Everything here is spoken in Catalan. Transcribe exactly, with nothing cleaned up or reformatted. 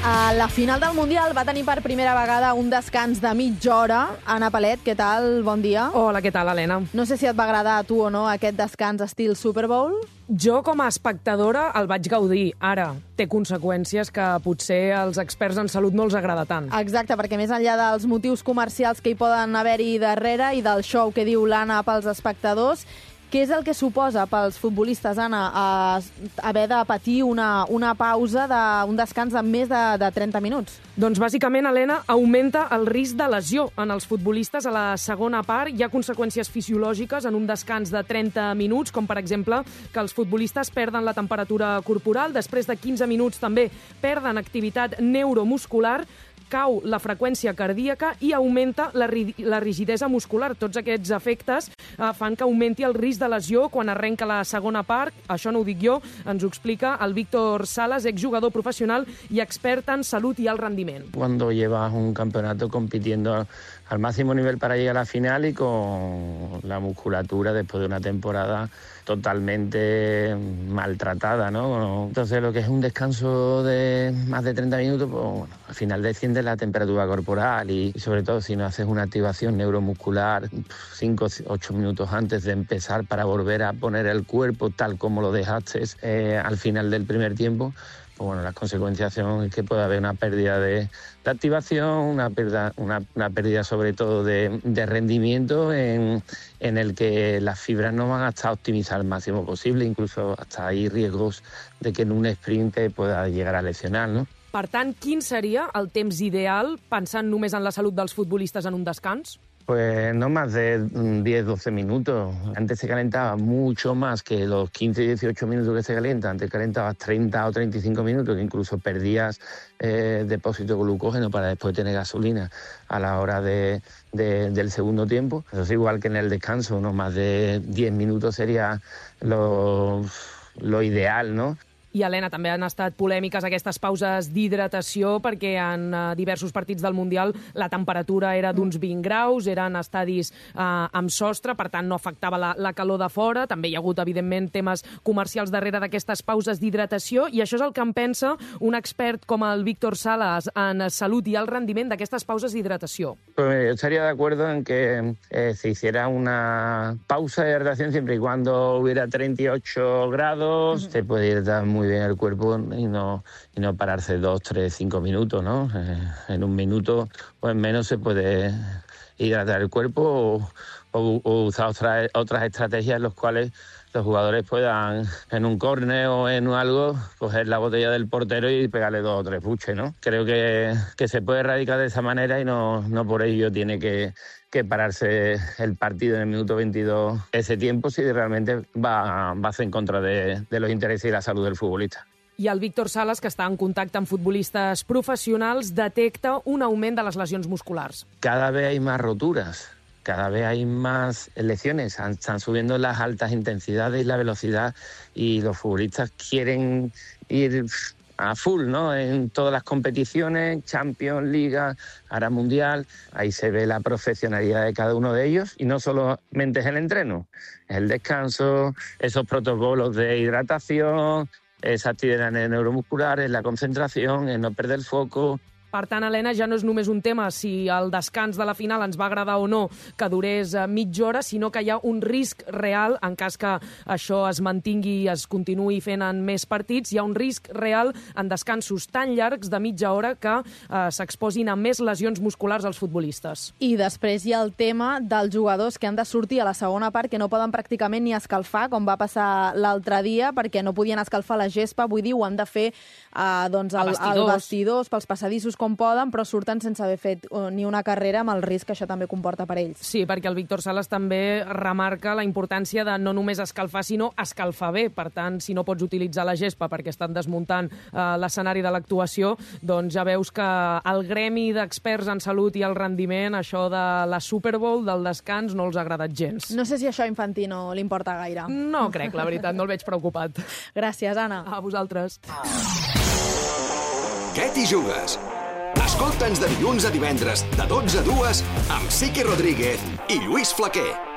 A la final del Mundial va tenir per primera vegada un descans de mitja hora. Anna Palet, què tal? Bon dia. Hola, què tal, Helena? No sé si et va agradar a tu o no aquest descans estil Super Bowl. Jo, com a espectadora, el vaig gaudir. Ara, té conseqüències que potser als experts en salut no els agrada tant. Exacte, perquè més enllà dels motius comercials que hi poden haver-hi darrere i del show que diu l'Anna pels espectadors, què és el que suposa pels futbolistes, Anna, haver de patir una, una pausa, de, un descans de més de, de trenta minuts? Doncs, bàsicament, Helena, augmenta el risc de lesió en els futbolistes a la segona part. Hi ha conseqüències fisiològiques en un descans de trenta minuts, com, per exemple, que els futbolistes perden la temperatura corporal, després de quinze minuts també perden activitat neuromuscular, cau la freqüència cardíaca i augmenta la, ri la rigidesa muscular. Tots aquests efectes eh, fan que augmenti el risc de lesió quan arrenca la segona part. Això no ho dic jo, ens ho explica el Víctor Salas, exjugador professional i expert en salut i alt rendiment. Cuando llevas un campeonato compitiendo al máximo nivel para llegar a la final y con la musculatura después de una temporada totalmente maltratada, ¿no? Entonces, lo que es un descanso de más de treinta minutos, pues bueno, al final desciende la temperatura corporal y, y sobre todo si no haces una activación neuromuscular cinco o ocho minutos antes de empezar para volver a poner el cuerpo tal como lo dejaste eh, al final del primer tiempo, pues bueno, las consecuencias son que puede haber una pérdida de, de activación, una pérdida, una, una pérdida sobre todo de, de rendimiento en, en el que las fibras no van a estar optimizadas al máximo posible, incluso hasta hay riesgos de que en un sprint te pueda llegar a lesionar, ¿no? Per tant, quin seria el temps ideal, pensant només en la salut dels futbolistes en un descans? Pues no más de diez a doce minutos. Antes se calentaba mucho más que los quince a dieciocho minutos que se calienta. Antes calentabas treinta o treinta y cinco minutos, que incluso perdías eh, depósito de glucógeno para después tener gasolina a la hora de, de, del segundo tiempo. Eso es igual que en el descanso, no más de diez minutos sería lo, lo ideal, ¿no? I, Helena, també han estat polèmiques aquestes pauses d'hidratació perquè en uh, diversos partits del Mundial la temperatura era d'uns vint graus, eren estadis uh, amb sostre, per tant no afectava la, la calor de fora. També hi ha hagut, evidentment, temes comercials darrere d'aquestes pauses d'hidratació i això és el que en pensa un expert com el Víctor Salas en salut i alt rendiment d'aquestes pauses d'hidratació. Pues yo estaría de acuerdo en que eh, se hiciera una pausa de hidratación siempre y cuando hubiera treinta y ocho grados, uh-huh. Se puede hidratar muy bien el cuerpo y no, y no pararse dos, tres, cinco minutos, ¿no? Eh, en un minuto o en menos se puede hidratar el cuerpo o, o, o usar otra, otras estrategias en las cuales los jugadores puedan, en un córner o en algo, coger la botella del portero y pegarle dos o tres buches, ¿no? Creo que, que se puede erradicar de esa manera y no, no por ello tiene que, que pararse el partido en el minuto veintidós ese tiempo si realmente va, va en contra de, de los intereses y la salud del futbolista. I el Víctor Salas, que està en contacte amb futbolistes professionals, detecta un augment de les lesions musculars. Cada vez hay más roturas. Cada vez hay más lesiones, están subiendo las altas intensidades y la velocidad y los futbolistas quieren ir a full, ¿no? En todas las competiciones, Champions, Liga, ahora Mundial, ahí se ve la profesionalidad de cada uno de ellos y no solamente es el entreno, es el descanso, esos protocolos de hidratación, esa actividad neuromuscular, es la concentración, es no perder el foco. Per tant, Helena, ja no és només un tema si el descans de la final ens va agradar o no que durés mitja hora, sinó que hi ha un risc real, en cas que això es mantingui i es continuï fent en més partits, hi ha un risc real en descansos tan llargs de mitja hora que eh, s'exposin a més lesions musculars als futbolistes. I després hi ha el tema dels jugadors que han de sortir a la segona part que no poden pràcticament ni escalfar, com va passar l'altre dia, perquè no podien escalfar la gespa, vull dir, ho han de fer eh, doncs, el, el vestidors, pels passadissos com poden, però surten sense haver fet ni una carrera amb el risc que això també comporta per ells. Sí, perquè el Víctor Salas també remarca la importància de no només escalfar, sinó escalfar bé. Per tant, si no pots utilitzar la gespa perquè estan desmuntant eh, l'escenari de l'actuació, doncs ja veus que el gremi d'experts en salut i el rendiment, això de la Super Bowl, del descans, no els ha agradat gens. No sé si això a Infantino li importa gaire. No crec, la veritat, no el veig preocupat. Gràcies, Anna. A vosaltres. Què t'hi jugues? Escolta'ns de dilluns a divendres, de dotze a dues, amb Sique Rodríguez i Lluís Flaquer.